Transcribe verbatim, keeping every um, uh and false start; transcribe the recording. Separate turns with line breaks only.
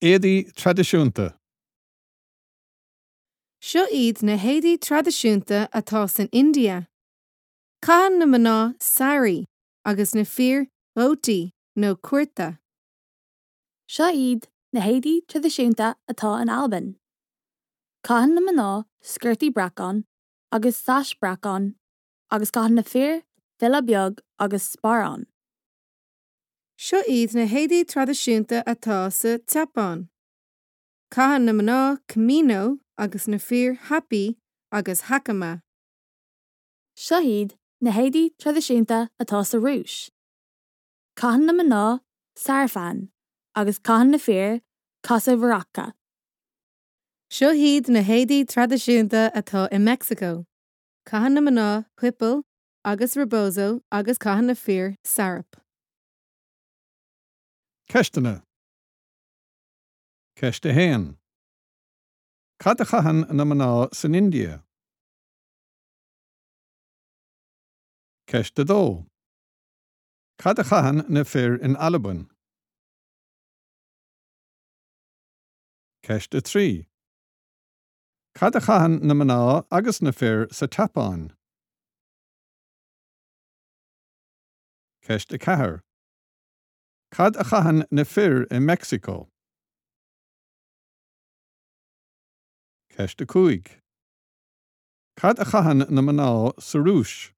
Éadaí traidisiúnta.
Seo iad na héadaí traidisiúnta atá san India. Caitheann na mná sari agus na fir dhótí nó curta.
Seo iad na héadaí traidisiúnta atá in Albain. Caitheann na mná sciortaí breacáin agus sais breacáin agus caitheann na fir filleadh beag agus sparán.
Seo iad na héadaí traidisiúnta atá sa tSeapáin. Caitheann na mná kimono agus na fir happi agus hakama.
Seo iad na héadaí traidisiúnta atá sa Rúis. Caitheann na mná sarafan agus caitheann na fir kosovorotka.
Seo iad na héadaí traidisiúnta atá i Meicsiceo. Caitheann na mná huipil agus rebozo agus caitheann na fir sarape.
Ceisteanna. Ceist a haon. Cad a chaitheann na mná san India? Ceist a dó. Cad a chaitheann na fir in Albain? Ceist a trí. Cad a chaitheann na mná agus na fir sa tSeapáin? Ceist a ceathair. Cad a chaitheann na fir i Meicsiceo? Ceist a cúig. Cad a chaitheann na mná sa Rúis?